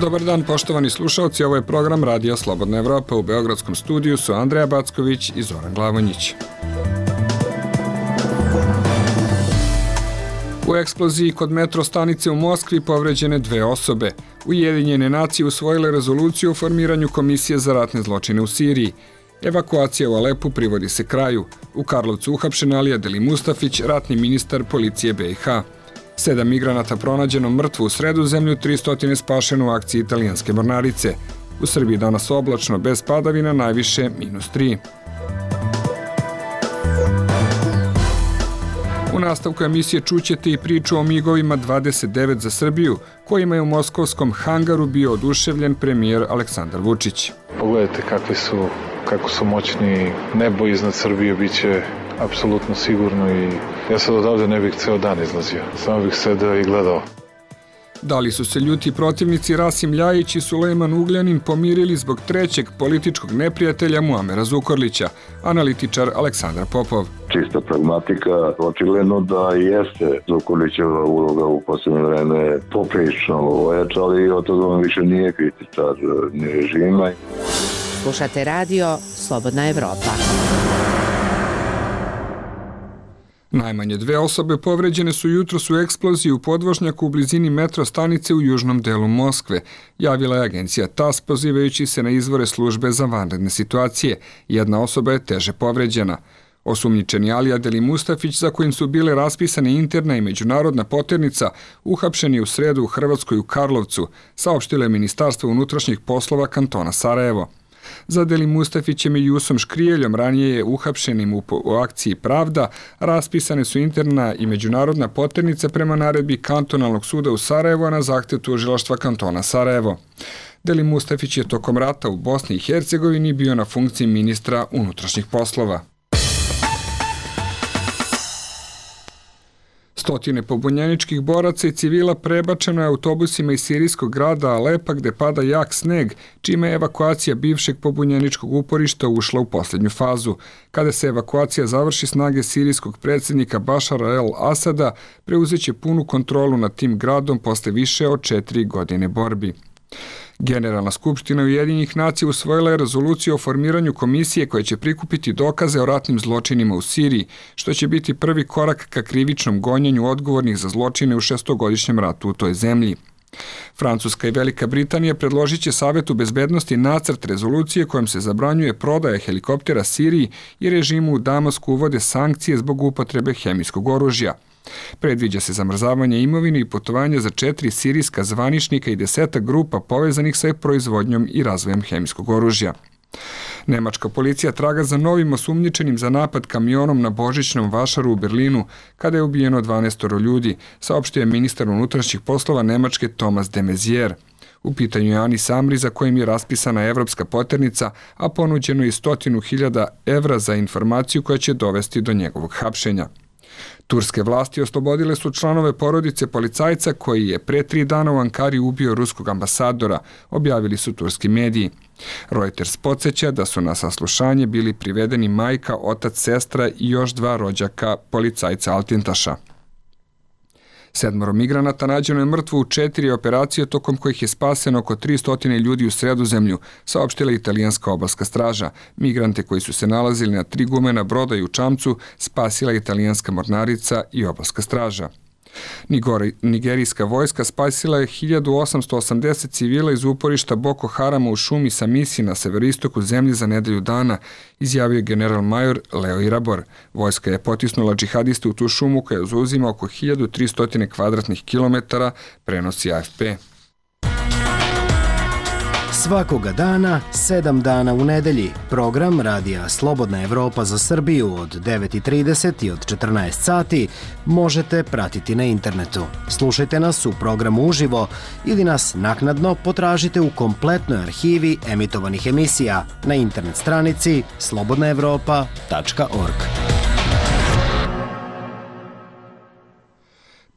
Dobar dan, poštovani slušalci, ovo je program Radija Slobodna Evropa. U beogradskom studiju su Andreja Backović i Zoran Glavonjić. U eksploziji kod metro stanice u Moskvi povređene 2 osobe. Ujedinjene nacije usvojile rezoluciju o formiranju Komisije za ratne zločine u Siriji. Evakuacija u Alepu privodi se kraju. U Karlovcu uhapšen Alija Delimustafić, ratni ministar policije BiH. 7 migranata pronađeno mrtvo u Sredozemlju, 300 spašeno u akciji italijanske mornarice. U Srbiji danas oblačno, bez padavina, najviše -3. U nastavku emisije čućete i priču o migovima 29 za Srbiju, kojima je u moskovskom hangaru bio oduševljen premijer Aleksandar Vučić. Pogledajte kako su moćni, nebo iznad Srbije biće apsolutno sigurno i ja sad odavde ne bih ceo dan izlazio, samo bih sedeo i gledao. Da li su se ljuti protivnici Rasim Ljajić i Sulejman Ugljanin pomirili zbog trećeg političkog neprijatelja Muamera Zukorlića, analitičar Aleksandar Popov. Čista pragmatika, očigledno da jeste Zukorlićeva uloga u posljednje vreme poprilično ojačala i od toga on više nije kritičar ni režima. Slušate radio Slobodna Evropa. Najmanje 2 osobe povređene su jutros u eksploziji u podvožnjaku u blizini metro stanice u južnom delu Moskve, javila je agencija TASS pozivajući se na izvore službe za vanredne situacije. 1 osoba je teže povređena. Osumnjičeni Alija Delimustafić, za kojim su bile raspisane interna i međunarodna poternica, uhapšen je u sredu u Hrvatskoj u Karlovcu, saopštilo je Ministarstvo unutrašnjih poslova kantona Sarajevo. Za Delimustafićem i Jusom Škrijeljom, ranije je uhapšenim u akciji Pravda, raspisane su interna i međunarodna poternica prema naredbi kantonalnog suda u Sarajevo na zahtev tužilaštva kantona Sarajevo. Delimustafić je tokom rata u Bosni i Hercegovini bio na funkciji ministra unutrašnjih poslova. Stotine pobunjeničkih boraca i civila prebačeno je autobusima iz sirijskog grada Alepa gde pada jak sneg, čime je evakuacija bivšeg pobunjeničkog uporišta ušla u posljednju fazu. Kada se evakuacija završi, snage sirijskog predsjednika Bašara el-Asada preuzeće punu kontrolu nad tim gradom posle više od 4 godine borbi. Generalna skupština Ujedinjenih nacija usvojila je rezoluciju o formiranju komisije koja će prikupiti dokaze o ratnim zločinima u Siriji, što će biti prvi korak ka krivičnom gonjenju odgovornih za zločine u 6-godišnjem ratu u toj zemlji. Francuska i Velika Britanija predložit će Savetu bezbednosti nacrt rezolucije kojom se zabranjuje prodaja helikoptera Siriji i režimu u Damasku uvode sankcije zbog upotrebe hemijskog oružja. Predviđa se zamrzavanje imovine i putovanja za 4 sirijska zvaničnika i 10 grupa povezanih sa proizvodnjom i razvojem hemijskog oružja. Nemačka policija traga za novim osumnjičenim za napad kamionom na božićnom vašaru u Berlinu, kada je ubijeno 12 ljudi, saopštio je ministar unutrašnjih poslova Nemačke Thomas de Maizière. U pitanju je Anis Amri, za kojim je raspisana evropska poternica, a ponuđeno je 100.000 evra za informaciju koja će dovesti do njegovog hapšenja. Turske vlasti oslobodile su članove porodice policajca koji je pre 3 dana u Ankari ubio ruskog ambasadora, objavili su turski mediji. Reuters podsjeća da su na saslušanje bili privedeni majka, otac, sestra i još 2 rođaka policajca Altintaša. 7 migranata nađeno je mrtvo u 4 operacije tokom kojih je spaseno oko 300 ljudi u Sredozemlju, saopštila italijanska obalska straža. Migrante koji su se nalazili na 3 gumena broda i u čamcu spasila italijanska mornarica i obalska straža. Nigerijska vojska spasila je 1880 civila iz uporišta Boko Harama u šumi Samisi na severoistoku zemlje za nedelju dana, izjavio general major Leo Irabor. Vojska je potisnula džihadiste u tu šumu koja zauzima oko 1300 kvadratnih kilometara, prenosi AFP. Svakoga dana, 7 dana u nedelji, program Radija Slobodna Evropa za Srbiju od 9:30 i od 14 sati možete pratiti na internetu. Slušajte nas u programu uživo ili nas naknadno potražite u kompletnoj arhivi emitovanih emisija na internet stranici slobodnaevropa.org.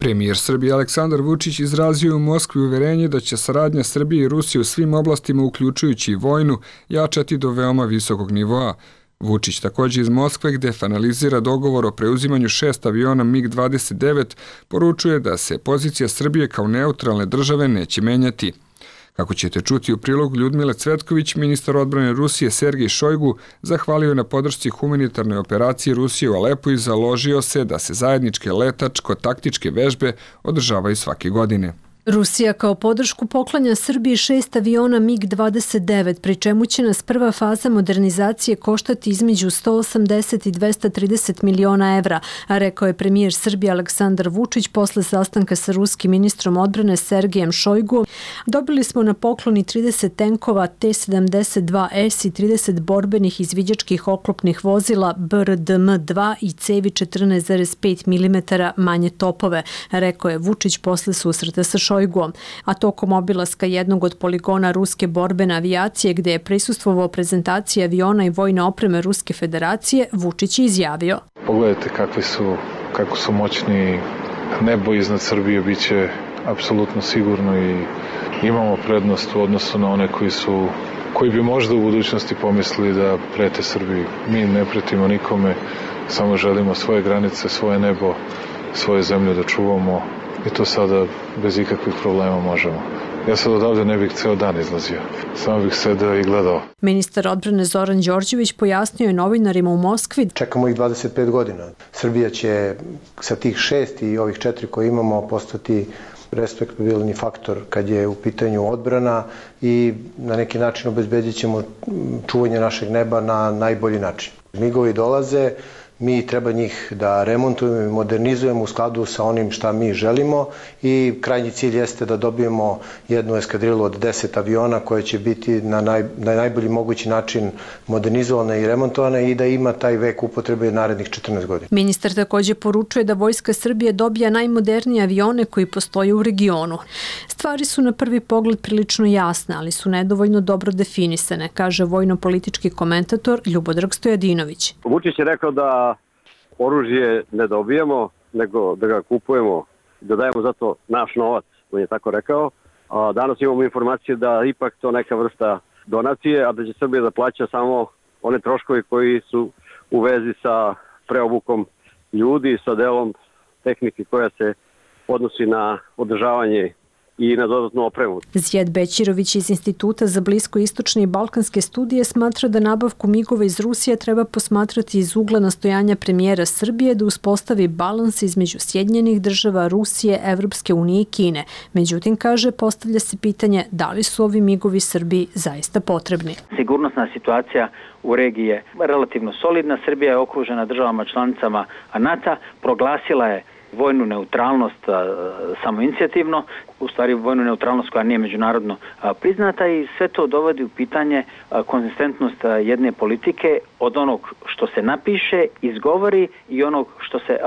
Premijer Srbije Aleksandar Vučić izrazio u Moskvi uverenje da će saradnja Srbije i Rusije u svim oblastima, uključujući i vojnu, jačati do veoma visokog nivoa. Vučić također iz Moskve, gde finalizira dogovor o preuzimanju 6 aviona MiG-29, poručuje da se pozicija Srbije kao neutralne države neće menjati. Kako ćete čuti u prilogu Ljudmile Cvetković, ministar odbrane Rusije Sergej Šojgu zahvalio na podršci humanitarnoj operaciji Rusije u Alepu i založio se da se zajedničke letačko-taktičke vežbe održavaju svake godine. Rusija kao podršku poklanja Srbiji 6 aviona MiG-29, pri čemu će nas prva faza modernizacije koštati između 180 i 230 miliona evra, a rekao je premijer Srbije Aleksandar Vučić posle sastanka sa ruskim ministrom odbrane Sergejem Šojgu. Dobili smo na pokloni 30 tenkova T-72S i 30 borbenih izviđačkih oklopnih vozila BRDM-2 i cevi 14,5 mm manje topove, rekao je Vučić posle susreta sa Šojgom. A tokom obilaska jednog od poligona ruske borbene avijacije, gde je prisustvovao prezentaciji aviona i vojne opreme Ruske federacije, Vučić je izjavio: Pogledajte kako su moćni, nebo iznad Srbije biće apsolutno sigurno i imamo prednost u odnosu na one koji bi možda u budućnosti pomislili da prete Srbiji. Mi ne pretimo nikome, samo želimo svoje granice, svoje nebo, svoje zemlje da čuvamo. I to sada bez ikakvih problema možemo. Ja sad odavde ne bih ceo dan izlazio. Samo bih sedeo i gledao. Ministar odbrane Zoran Đorđević pojasnio je novinarima u Moskvi: Čekamo ih 25 godina. Srbija će sa tih 6 i ovih 4 koje imamo postati respektabilni faktor kad je u pitanju odbrana i na neki način obezbedit ćemo čuvanje našeg neba na najbolji način. Migovi dolaze, mi treba njih da remontujemo i modernizujemo u skladu sa onim šta mi želimo i krajnji cilj jeste da dobijemo jednu eskadrilu od 10 aviona koje će biti na najbolji mogući način modernizovane i remontovane i da ima taj vek upotrebe narednih 14 godina. Ministar također poručuje da Vojska Srbije dobija najmodernije avione koji postoje u regionu. Stvari su na prvi pogled prilično jasne, ali su nedovoljno dobro definisane, kaže vojno-politički komentator Ljubodrag Stojadinović. Vučić je rekao da oružje ne dobijamo, nego da ga kupujemo, da dajemo zato naš novac, on je tako rekao. A danas imamo informacije da ipak to neka vrsta donacije, a da će Srbija da plaća samo one troškovi koji su u vezi sa preobukom ljudi, sa delom tehnike koja se odnosi na održavanje i na dodatnu opremu. Zijad Bećirović iz Instituta za bliskoistočne i balkanske studije smatra da nabavku migova iz Rusije treba posmatrati iz ugla nastojanja premijera Srbije da uspostavi balans između Sjedinjenih država, Rusije, Evropske unije i Kine. Međutim, kaže, postavlja se pitanje da li su ovi migovi Srbiji zaista potrebni. Sigurnosna situacija u regiji je relativno solidna. Srbija je okružena državama članicama NATO, proglasila je vojnu neutralnost samoinicijativno, u stvari vojnu neutralnost koja nije međunarodno priznata i sve to dovodi u pitanje konzistentnost jedne politike od onog što se napiše, izgovori i onog što se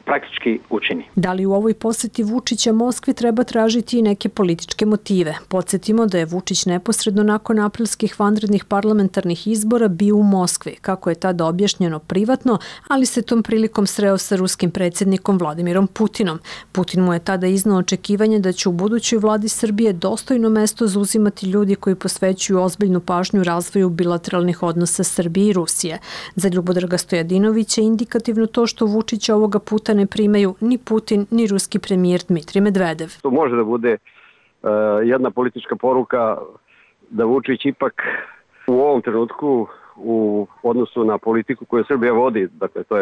praktički učini. Da li u ovoj posjeti Vučića Moskvi treba tražiti i neke političke motive? Podsjetimo da je Vučić neposredno nakon aprilskih vanrednih parlamentarnih izbora bio u Moskvi, kako je tada objašnjeno privatno, ali se tom prilikom sreo sa ruskim predsjednikom Vladimirom Putinom. Putin mu je tada iznao očekivanje da će u budućoj vladi Srbije dostojno mesto zauzimati ljudi koji posvećuju ozbiljnu pažnju razvoju bilateralnih odnosa Srbije i Rusije. Za Ljubodraga Stojadinovića je indikativno to što Vučića ovoga puta ne primaju ni Putin, ni ruski premijer Dmitrij Medvedev. To može da bude jedna politička poruka da Vučić ipak u ovom trenutku u odnosu na politiku koju Srbija vodi, dakle to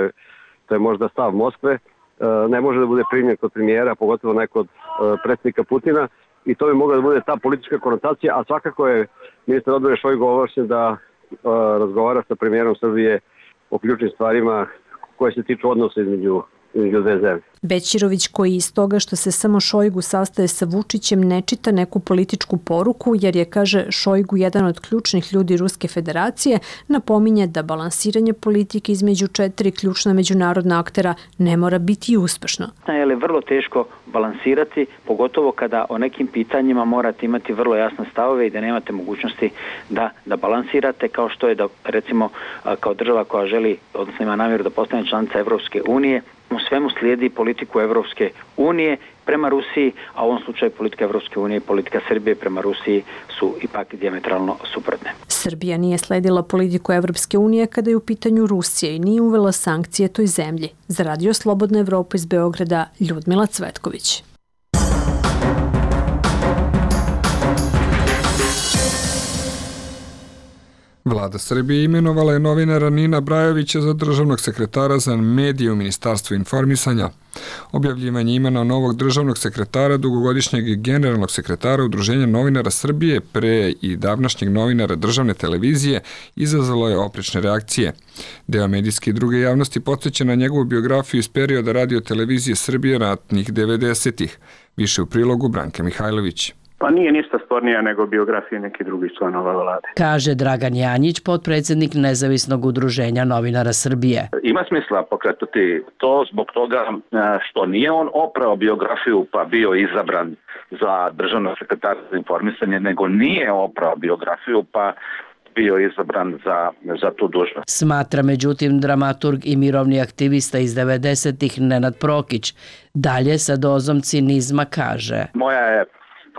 je možda stav Moskve, ne može da bude primjer kod premijera, pogotovo ne kod predsjednika Putina i to bi mogla da bude ta politička konotacija, a svakako je ministar odbrane Šojgu ovlašćen da razgovara sa premijerom Srbije o ključnim stvarima koje se tiču odnosa između dve zemlje. Bećirović, koji iz toga što se samo Šojgu sastaje sa Vučićem ne čita neku političku poruku, jer je, kaže, Šojgu jedan od ključnih ljudi Ruske federacije, napominje da balansiranje politike između 4 ključna međunarodna aktera ne mora biti uspešno. Je li vrlo teško balansirati, pogotovo kada o nekim pitanjima morate imati vrlo jasne stavove i da nemate mogućnosti da balansirate, kao što je da, recimo, kao država koja želi, odnosno ima namjeru da postane članica Evropske unije, u svemu slijedi politiku Evropske unije prema Rusiji, a u ovom slučaju politika Evropske unije i politika Srbije prema Rusiji su ipak dijametralno suprotne. Srbija nije sledila politiku Evropske unije kada je u pitanju Rusije i nije uvela sankcije toj zemlji. Za Radio Slobodna Evropa iz Beograda, Ljudmila Cvetković. Vlada Srbije imenovala je novinara Nina Brajovića za državnog sekretara za medije u Ministarstvu informisanja. Objavljivanje imena novog državnog sekretara, dugogodišnjeg i generalnog sekretara Udruženja novinara Srbije pre i davnašnjeg novinara državne televizije izazvalo je oprečne reakcije. Deo medijske i druge javnosti podsjeća na njegovu biografiju iz perioda radio televizije Srbije ratnih 90-ih. Više u prilogu Branke Mihajlović. Pa nije ništa spornija nego biografije nekih drugih članova vlade. Kaže Dragan Janjić, potpredsjednik Nezavisnog udruženja novinara Srbije. Ima smisla pokretati to zbog toga što nije on oprao biografiju pa bio izabran za državnog sekretara za informisanje, nego nije oprao biografiju pa bio izabran za tu dužnost. Smatra međutim dramaturg i mirovni aktivista iz 90-ih Nenad Prokić. Dalje sa dozom cinizma kaže. Moja je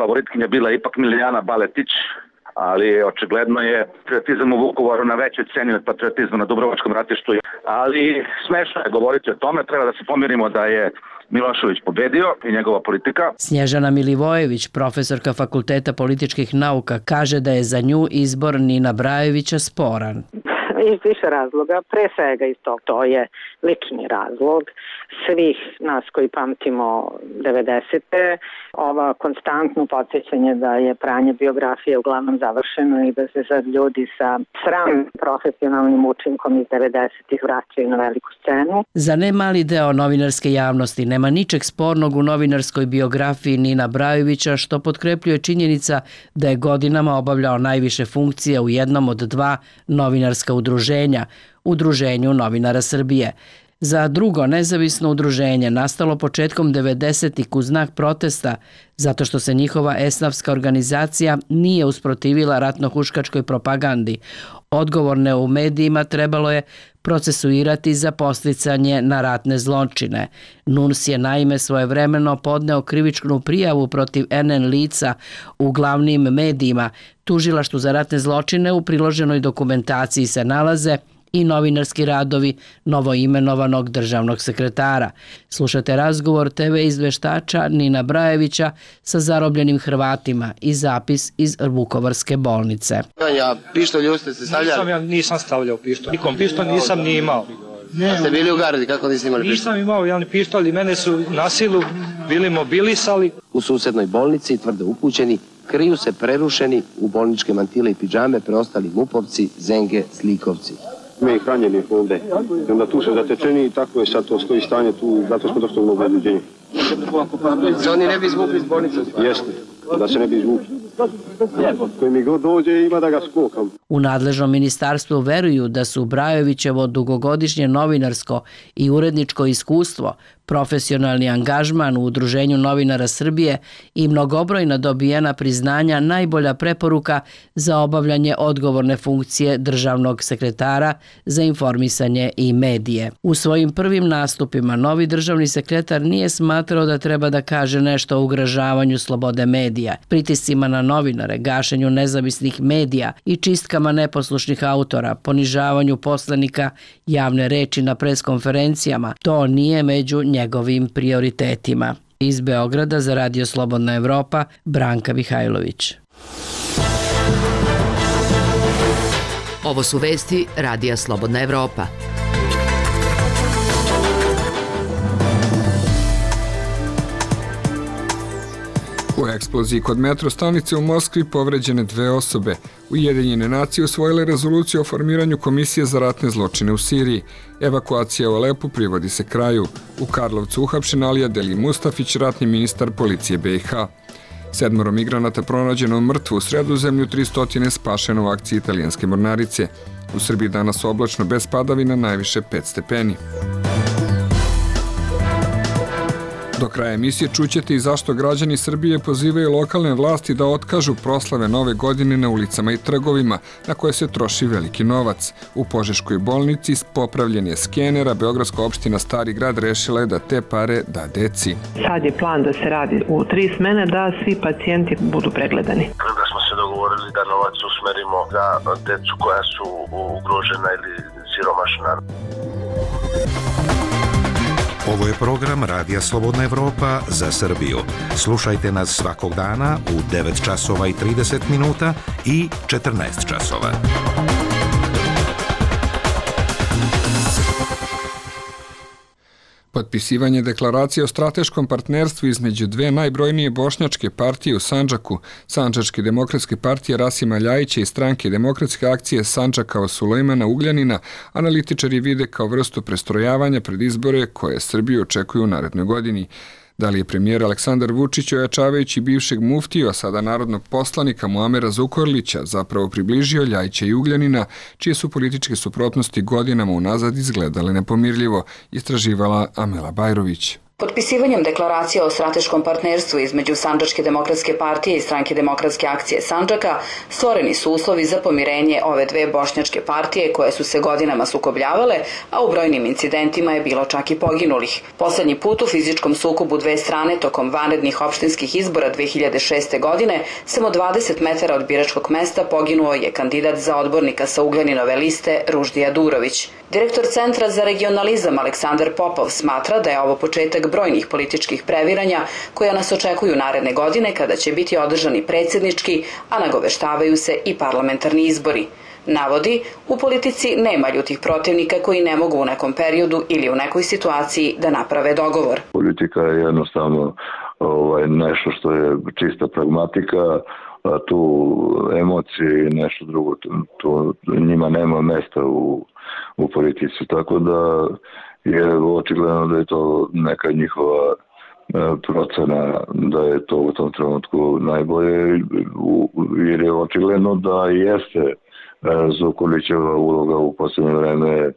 favoritkinja bila ipak Milijana Baletić, ali očigledno je patriotizam u Vukovaru na većoj ceni od patriotizma na Dubrovačkom ratištu. Ali smešno je govoriti o tome, treba da se pomirimo da je Milošević pobedio i njegova politika. Snježana Milivojević, profesorka Fakulteta političkih nauka, kaže da je za nju izbor Nina Brajovića sporan. Iz više razloga, pre svega iz tog, to je lični razlog svih nas koji pamtimo 90-te, ova konstantno podsjećanje da je pranje biografije uglavnom završeno i da se sad ljudi sa sram profesionalnim učinkom iz 90-ih vraćaju na veliku scenu. Za ne mali deo novinarske javnosti nema ničeg spornog u novinarskoj biografiji Nina Brajovića, što potkrepljuje činjenica da je godinama obavljao najviše funkcija u jednom od dva novinarska udruženja, Udruženju novinara Srbije. Za drugo nezavisno udruženje nastalo početkom 90-ih u znak protesta zato što se njihova esnafska organizacija nije usprotivila ratno-huškačkoj propagandi. Odgovorne u medijima trebalo je procesuirati za podsticanje na ratne zločine. NUNS je naime svojevremeno podneo krivičnu prijavu protiv NN lica u glavnim medijima. Tužilaštvu za ratne zločine u priloženoj dokumentaciji se nalaze i novinarski radovi novoimenovanog državnog sekretara. Slušate razgovor TV izveštača Nina Brajevića sa zarobljenim Hrvatima i zapis iz Vukovarske bolnice. Pištolj ste stavljali? Ja nisam stavljao pištolj. Nikom pištolj nisam ni imao. A ste bili u gardi, kako niste imali pištolj? Nisam imao javni pištolj i mene su na silu bili mobilisali. U susednoj bolnici, tvrdo upućeni, kriju se prerušeni u bolničke mantile i pidžame preostali mupovci, zenge, slikovci. Me i hranjeni ovde. I onda tu se zatečeni i tako je sad to stoji stanje tu, zato smo došli u mnogo određenje. Se oni ne bi izvukli iz bolnice? Jeste, da se ne bi izvukli. Koji mi god dođe ima da ga skokam. U nadležnom ministarstvu veruju da su Brajovićevo dugogodišnje novinarsko i uredničko iskustvo, profesionalni angažman u Udruženju novinara Srbije i mnogobrojna dobijena priznanja najbolja preporuka za obavljanje odgovorne funkcije državnog sekretara za informisanje i medije. U svojim prvim nastupima novi državni sekretar nije smatrao da treba da kaže nešto o ugrožavanju slobode medija, pritiscima na novinare, gašenju nezavisnih medija i čistkama neposlušnih autora, ponižavanju poslanika, javne reči na preskonferencijama. To nije među njegovim prioritetima. Iz Beograda za Radio Slobodna Evropa, Branka Mihajlović. Ovo su vesti Radija Slobodna Evropa. U eksploziji kod metro stanice u Moskvi povređene 2 osobe. Ujedinjene nacije usvojile rezoluciju o formiranju Komisije za ratne zločine u Siriji. Evakuacija u Alepu privodi se kraju. U Karlovcu uhapšen Alija Deli Mustafić, ratni ministar policije BiH. 7 migranata pronađeno mrtvo u Sredozemlju, 300 spašeno u akciji italijanske mornarice. U Srbiji danas oblačno bez padavina, najviše 5 stepeni. Do kraja emisije čućete i zašto građani Srbije pozivaju lokalne vlasti da otkažu proslave Nove godine na ulicama i trgovima, na koje se troši veliki novac. U Požeškoj bolnici popravljen je skener, a Beogradska opština Stari grad rešila je da te pare da deci. Sad je plan da se radi u 3 smene, da svi pacijenti budu pregledani. Da smo se dogovorili da novac usmerimo za decu koja su ugrožena ili siromašna. Ovo je program Radija Slobodna Evropa za Srbiju. Slušajte nas svakog dana u 9 časova i 30 minuta i 14 časova. Potpisivanje deklaracije o strateškom partnerstvu između dve najbrojnije bošnjačke partije u Sandžaku, Sandžačke demokratske partije Rasima Ljajića i Stranke demokratske akcije Sandžaka Sulejmana Ugljanina, analitičari vide kao vrstu prestrojavanja pred izbore koje Srbiju očekuju u narednoj godini. Da li je premijer Aleksandar Vučić, ojačavajući bivšeg muftiju, a sada narodnog poslanika Muamera Zukorlića, zapravo približio Ljajića i Ugljanina, čije su političke suprotnosti godinama unazad izgledale nepomirljivo, istraživala Amela Bajrović. Potpisivanjem deklaracije o strateškom partnerstvu između Sandžačke demokratske partije i Stranke demokratske akcije Sandžaka stvoreni su uslovi za pomirenje ove dve bošnjačke partije koje su se godinama sukobljavale, a u brojnim incidentima je bilo čak i poginulih. Poslednji put u fizičkom sukobu dve strane tokom vanrednih opštinskih izbora 2006. godine samo 20 metara od biračkog mesta poginuo je kandidat za odbornika sa Ugljaninove liste Ruždija Durović. Direktor Centra za regionalizam Aleksandar Popov smatra da je ovo početak brojnih političkih previranja koja nas očekuju naredne godine kada će biti održani predsjednički, a nagoveštavaju se i parlamentarni izbori. Navodi, u politici nema ljutih protivnika koji ne mogu u nekom periodu ili u nekoj situaciji da naprave dogovor. Politika je jednostavno nešto što je čista pragmatika, a tu emocije i nešto drugo, to njima nema mesta u politici, tako da je očigledno da je to neka njihova procena da je to u tom trenutku najbolje, jer je očigledno da jeste Zukorlićeva uloga u posljednje vreme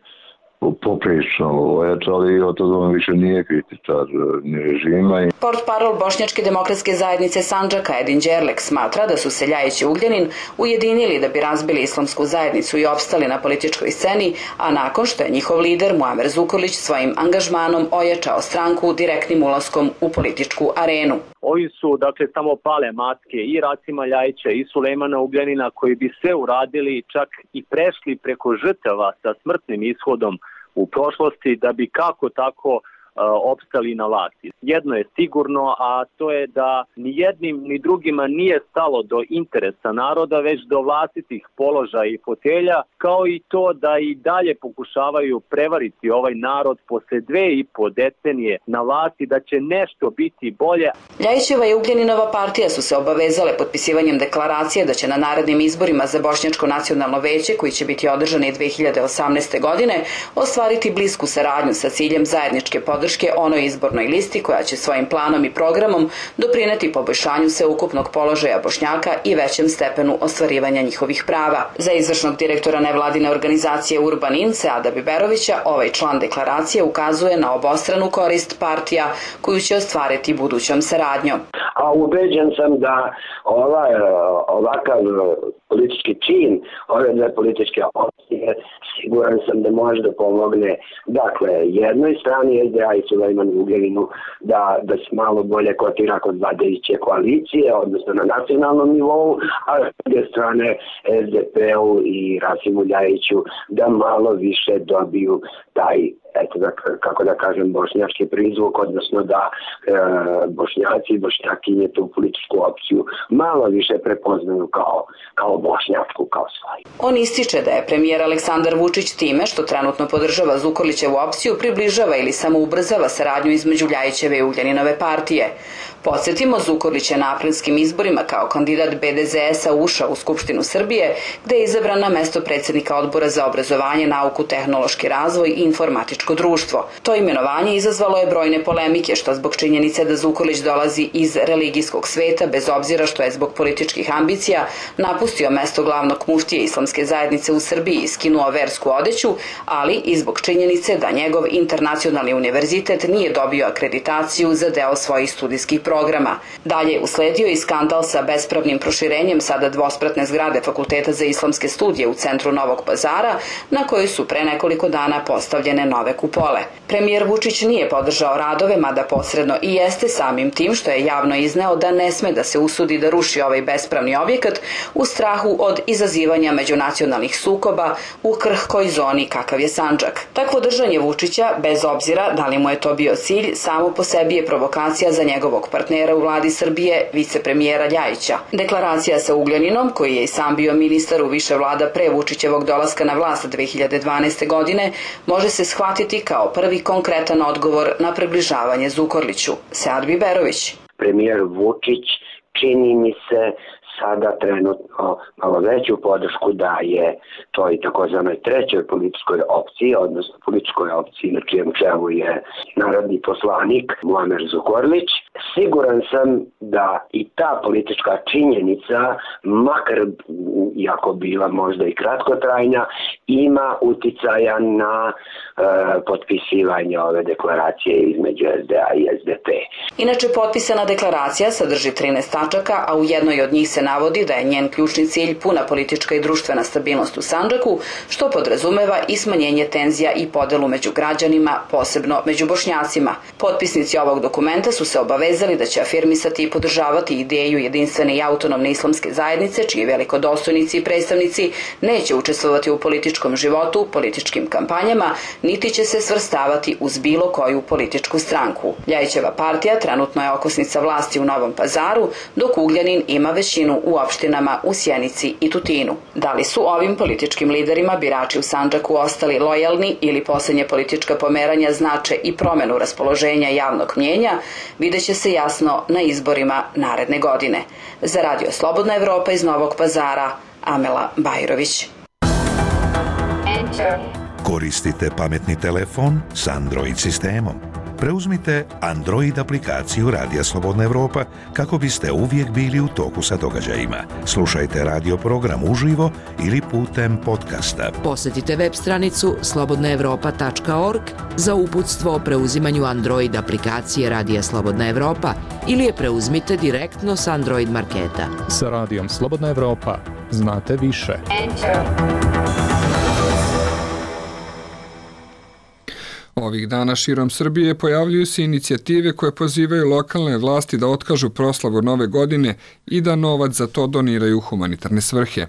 poprično ojačali i od toga on više nije kritičar ni režima. Portparol Bošnjačke demokratske zajednice Sandžaka Edin Đerlek smatra da su se Ljajić i Ugljanin ujedinili da bi razbili islamsku zajednicu i opstali na političkoj sceni, a nakon što je njihov lider Muamer Zukorlić svojim angažmanom ojačao stranku direktnim ulaskom u političku arenu. Ovi su, samo pale maske i Rasima Ljajića i Sulejmana Ugljanina koji bi sve uradili, čak i prešli preko žrtava sa smrtnim ishodom u prošlosti da bi kako tako opstali na vlasti. Jedno je sigurno, a to je da ni jednim ni drugima nije stalo do interesa naroda, već do vlastitih položaja i fotelja, kao i to da i dalje pokušavaju prevariti ovaj narod posle 2,5 decenije na vlasti da će nešto biti bolje. Ljajićeva i Ugljaninova partija su se obavezale potpisivanjem deklaracije da će na narednim izborima za Bošnjačko nacionalno veće, koji će biti održani 2018. godine, ostvariti blisku saradnju sa ciljem zajedničke podrške onoj izbornoj listi koja će svojim planom i programom doprineti poboljšanju sveukupnog položaja Bošnjaka i većem stepenu ostvarivanja njihovih prava. Za izvršnog direktora nevladine organizacije Urban In Seada Biberovića ovaj član deklaracije ukazuje na obostranu korist partija koju će ostvariti budućom saradnjom. A ubeđen sam da ovakav politički čin ove dve političke opcije siguran sam da može da pomogne jednoj strani SDA i Sulejmanu Ugljaninu da se malo bolje kotira kod vladajuće koalicije, odnosno na nacionalnom nivou, a s druge strane SDP-u i Rasimu Ljajiću da malo više dobiju taj bošnjački prizvuk, odnosno da Bošnjaci i Bošnjakinje tu političku opciju malo više prepoznaju kao bošnjačku, kao svoju. On ističe da je premijer Aleksandar Vučić time što trenutno podržava Zukorlićevu opciju približava ili samo ubrzava saradnju između Ljajićeve i Ugljaninove partije. Podsjetimo, Zukorlić je na aprilskim izborima kao kandidat BDZS-a ušao u Skupštinu Srbije, gde je izabran na mesto predsjednika Odbora za obrazovanje, nauku, tehnološki razvoj i informatičko društvo. To imenovanje izazvalo je brojne polemike, što zbog činjenice da Zukorlić dolazi iz religijskog sveta, bez obzira što je zbog političkih ambicija napustio mesto glavnog muftije islamske zajednice u Srbiji i skinuo versku odeću, ali i zbog činjenice da njegov internacionalni univerzitet univerzitet nije dobio akreditaciju za deo svojih studijskih programa. Dalje je usledio i skandal sa bespravnim proširenjem sada dvospratne zgrade Fakulteta za islamske studije u centru Novog Pazara, na kojoj su pre nekoliko dana postavljene nove kupole. Premijer Vučić nije podržao radove, mada posredno i jeste samim tim što je javno izneo da ne sme da se usudi da ruši ovaj bespravni objekat u strahu od izazivanja međunacionalnih sukoba u krhkoj zoni kakav je Sandžak. Takvo držanje Vučića, bez obzira da li mu je to bio cilj, samo po sebi je provokacija za njegovog partnera u vladi Srbije, vicepremijera Ljajića. Deklaracija sa Ugljaninom, koji je i sam bio ministar u više vlada pre Vučićevog dolaska na vlast 2012. godine, može se shvatiti kao prvi konkretan odgovor na približavanje Zukorliću. Sead Biberović. Premijer Vučić čini mi se sada trenutno malo veću podršku daje toj takozvanoj trećoj političkoj opciji, odnosno političkoj opciji na čijem čelu je narodni poslanik Muamer Zukorlić. Siguran sam da i ta politička činjenica, makar iako bila možda i kratkotrajna, ima uticaja na potpisivanje ove deklaracije između SDA i SDP. Inače, potpisana deklaracija sadrži 13 tačaka, a u jednoj od njih se navodi da je njen ključni cilj puna politička i društvena stabilnost u Sandžaku, što podrazumeva i smanjenje tenzija i podelu među građanima, posebno među Bošnjacima. Potpisnici ovog dokumenta su se obavezali da će afirmisati i podržavati ideju jedinstvene i autonomne islamske zajednice, čiji velikodostojnici i predstavnici neće učestvovati u političkom životu, političkim kampanjama, niti će se svrstavati uz bilo koju političku stranku. Ljajićeva partija trenutno je okosnica vlasti u Novom Pazaru, dok Ugljanin ima većinu u opštinama u Sjenici i Tutinu. Da li su ovim političkim liderima birači u Sandžaku ostali lojalni ili poslednje politička pomeranja znače i promenu raspoloženja javnog mnjenja, vidjet će se jasno na izborima naredne godine. Za Radio Slobodna Evropa iz Novog Pazara, Amela Bajrović. Koristite pametni telefon s Android sistemom. Preuzmite Android aplikaciju Radija Slobodna Evropa kako biste uvijek bili u toku sa događajima. Slušajte radio program uživo ili putem podcasta. Posjetite web stranicu slobodnaevropa.org za uputstvo o preuzimanju Android aplikacije Radija Slobodna Evropa ili je preuzmite direktno s Android marketa. Sa Radijom Slobodna Evropa znate više. Ovih dana širom Srbije pojavljuju se inicijative koje pozivaju lokalne vlasti da otkažu proslavu Nove godine i da novac za to doniraju u humanitarne svrhe.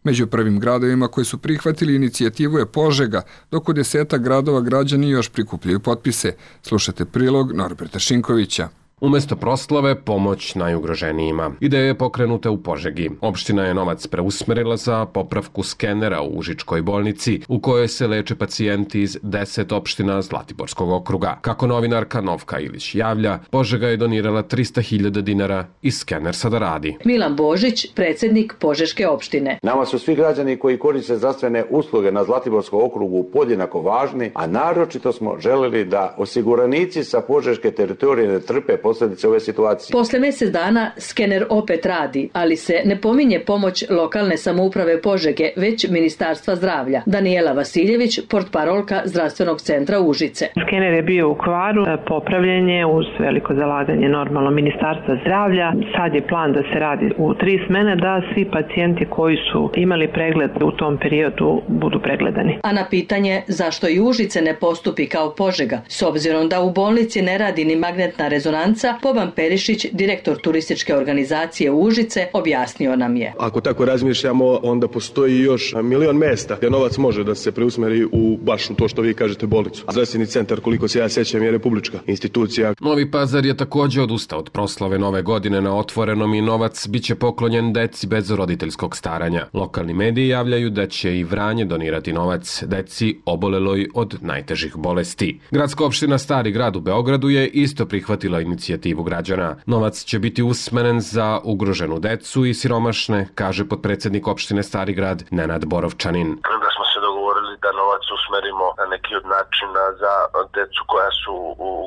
Među prvim gradovima koji su prihvatili inicijativu je Požega, dok u 10 gradova građani još prikupljaju potpise. Slušajte prilog Norberta Šinkovića. Umesto proslave, pomoć najugroženijima. Ideja je pokrenuta u Požegi. Opština je novac preusmerila za popravku skenera u Užičkoj bolnici, u kojoj se leče pacijenti iz 10 opština Zlatiborskog okruga. Kako novinarka Novka Ilić javlja, Požega je donirala 300.000 dinara i skener sada radi. Milan Božić, predsjednik Požeške opštine. Nama su svi građani koji koriste zdravstvene usluge na Zlatiborskom okrugu podjednako važni, a naročito smo želeli da osiguranici sa Požeške teritorije ne trpe posljedice ove situacije. Posle mjesec dana skener opet radi, ali se ne pominje pomoć lokalne samouprave Požege, već Ministarstva zdravlja. Danijela Vasiljević, portparolka Zdravstvenog centra Užice. Skener je bio u kvaru, popravljen je uz veliko zalaganje normalno Ministarstva zdravlja. Sad je plan da se radi u 3 smene, da svi pacijenti koji su imali pregled u tom periodu budu pregledani. A na pitanje zašto i Užice ne postupi kao Požega, s obzirom da u bolnici ne radi ni magnetna rezonanca, Boban Perišić, direktor turističke organizacije Užice, objasnio nam je. Ako tako razmišljamo, onda postoji još milion mesta gdje novac može da se preusmeri u baš u to što vi kažete bolnicu. Zdravstveni centar, koliko se ja sjećam, je republička institucija. Novi Pazar je također odustao od proslave Nove godine na otvorenom i novac biće poklonjen deci bez roditeljskog staranja. Lokalni mediji javljaju da će i Vranje donirati novac deci oboleloj od najtežih bolesti. Gradska opština Stari grad u Beogradu je isto prihvatila inicijativu građana. Novac će biti usmeren za ugroženu decu i siromašne, kaže potpredsjednik opštine Stari grad Nenad Borovčanin. Da smo se dogovorili da novac usmerimo na neki od načina za decu koja su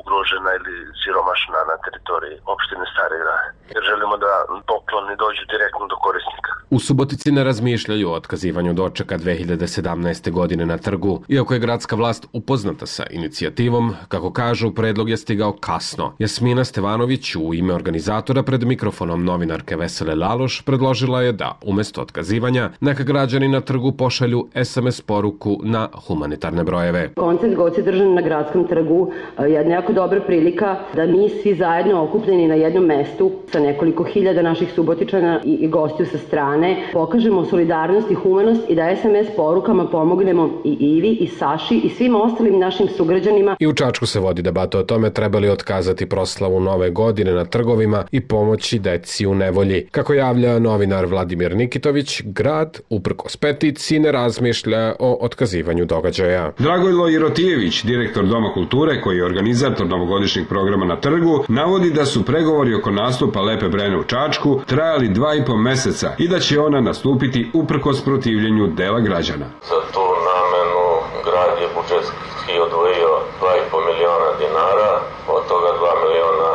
ugrožena ili siromašna na teritoriji opštine Stari grad. Jer želimo da pokloni dođu direktno do korisnika. U Subotici ne razmišljaju o otkazivanju dočeka 2017. godine na trgu. Iako je gradska vlast upoznata sa inicijativom, kako kažu, predlog je stigao kasno. Jasmina Stevanović u ime organizatora pred mikrofonom novinarke Vesele Laloš predložila je da, umesto otkazivanja, neka građani na trgu pošalju SMS poruku na humanitarne brojeve. Koncert god se držan na gradskom trgu je jako dobra prilika da mi svi zajedno okupljeni na jednom mestu sa nekoliko hiljada naših Subotičana i gostiju sa strane pokažemo solidarnost i humanost i da SMS porukama pomognemo i Ivi i Saši i svim ostalim našim sugrađanima. I u Čačku se vodi debata o tome treba li otkazati proslavu Nove godine na trgovima i pomoći deci u nevolji. Kako javlja novinar Vladimir Nikitović, grad, uprkos peticiji, ne razmišlja o otkazivanju događaja. Dragojlo Irotijević, direktor Doma kulture koji je organizator novogodišnjeg programa na trgu, navodi da su pregovori oko nastupa Lepe Brene u Čačku trajali 2,5 meseca i da će ona nastupiti uprkos protivljenju dela građana. Za tu namenu grad je budžetski odvojio 2,5 miliona dinara, od toga 2 miliona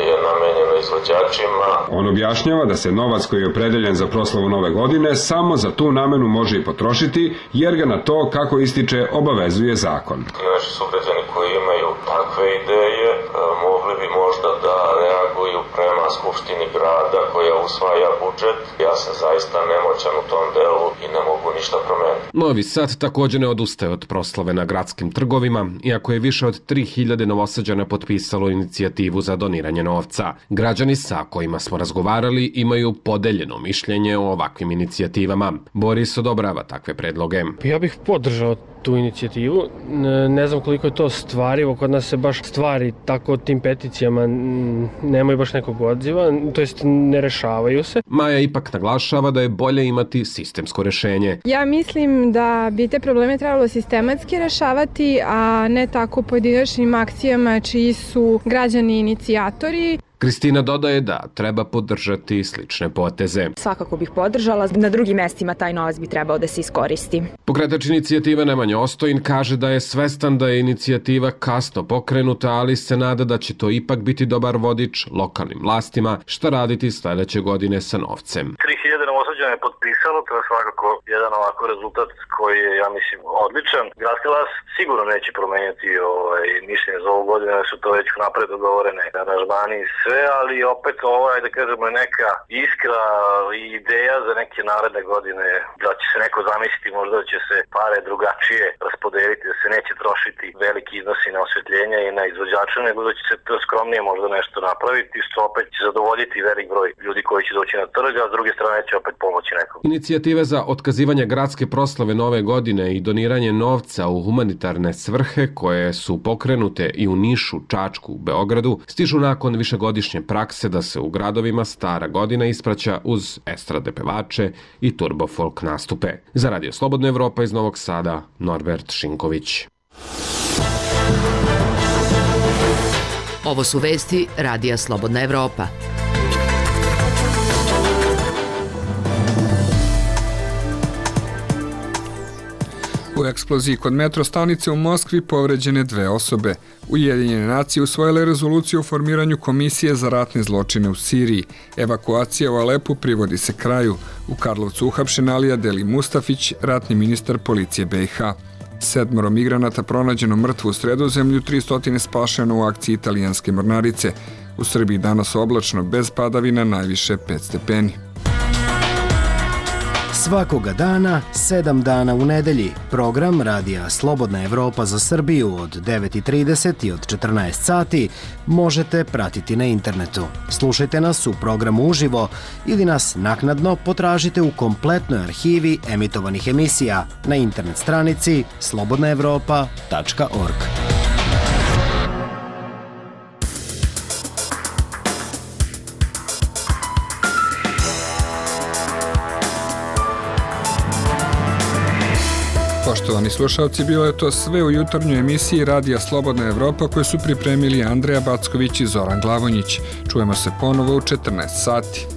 je namenjeno izvođačima. On objašnjava da se novac koji je opredeljen za proslavu Nove godine samo za tu namenu može i potrošiti, jer ga na to, kako ističe, obavezuje zakon. Naši sugrađani koji imaju takve ideje mogli bi možda da reaguju prema Skupštini grada koja usvaja budžet. Ja sam zaista nemoćan u tom delu i ne mogu ništa promeniti. Novi Sad također ne odustaje od proslave na gradskim trgovima, iako je više od 3000 Novosađana potpisalo inicijativu za doniranje novca. Građani sa kojima smo razgovarali imaju podeljeno mišljenje o ovakvim inicijativama. Boris odobrava takve predloge. Ja bih podržao tu inicijativu. Ne znam koliko je to stvarivo, kod nas se baš stvari tako tim peticijama nemaju baš nekog odziva, to jest ne rešavaju se. Maja ipak naglašava da je bolje imati sistemsko rešenje. Ja mislim da bi te probleme trebalo sistematski rešavati, a ne tako pojedinačnim akcijama čiji su građani inicijatori. Kristina dodaje da treba podržati slične poteze. Svakako bih podržala, na drugim mestima taj novac bi trebao da se iskoristi. Pokretač inicijative Nemanja Ostojin kaže da je svestan da je inicijativa kasno pokrenuta, ali se nada da će to ipak biti dobar vodič lokalnim vlastima šta raditi sledeće godine sa novcem. 3000 Novosađana je potpisalo, to je svakako jedan ovako rezultat koji je, ja mislim, odličan. Gradska vlast sigurno neće promenjati mišljenje za ovu godinu, jer su to već napred dogovorene aranžmani i sve, ali opet da kažemo, neka iskra i ideja za neke naredne godine, da će se neko zamisliti možda da će se pare drugačije raspodeliti, da se neće trošiti veliki iznosi na osvetljenje i na izvođače, nego da će se to skromnije možda nešto napraviti, što opet će zadovoljiti velik broj ljudi koji će doći na trg, a s druge strane će opet pomoći nekom. Inicijative za otkazivanje gradske proslave Nove godine i doniranje novca u humanitarne svrhe koje su pokrenute i u Nišu, Čačku, Beogradu, stižu nakon višegodišnje prakse da se u gradovima Stara godina ispraća uz estrade pevače i turbo folk nastupe. Za Radio Slobodna Evropa iz Novog Sada, Norbert Šinković. Ovo su vesti Radija Slobodna Evropa. U eksploziji kod metro stanice u Moskvi povređene 2 osobe. Ujedinjene nacije usvojile rezoluciju o formiranju komisije za ratne zločine u Siriji. Evakuacija u Alepu privodi se kraju. U Karlovcu uhapšen Alija Deli Mustafić, ratni ministar policije BiH. 7 migranata pronađeno mrtvo u Sredozemlju, 300 spašeno u akciji italijanske mornarice. U Srbiji danas oblačno, bez padavina, najviše 5 stepeni. Svakoga dana, 7 dana u nedelji. Program Radija Slobodna Evropa za Srbiju od 9:30 i od 14 sati možete pratiti na internetu. Slušajte nas u programu uživo ili nas naknadno potražite u kompletnoj arhivi emitovanih emisija na internet stranici slobodnaevropa.org. Poštovani slušalci, bilo je to sve u jutarnjoj emisiji Radija Slobodna Evropa koju su pripremili Andreja Backović i Zoran Glavonjić. Čujemo se ponovo u 14 sati.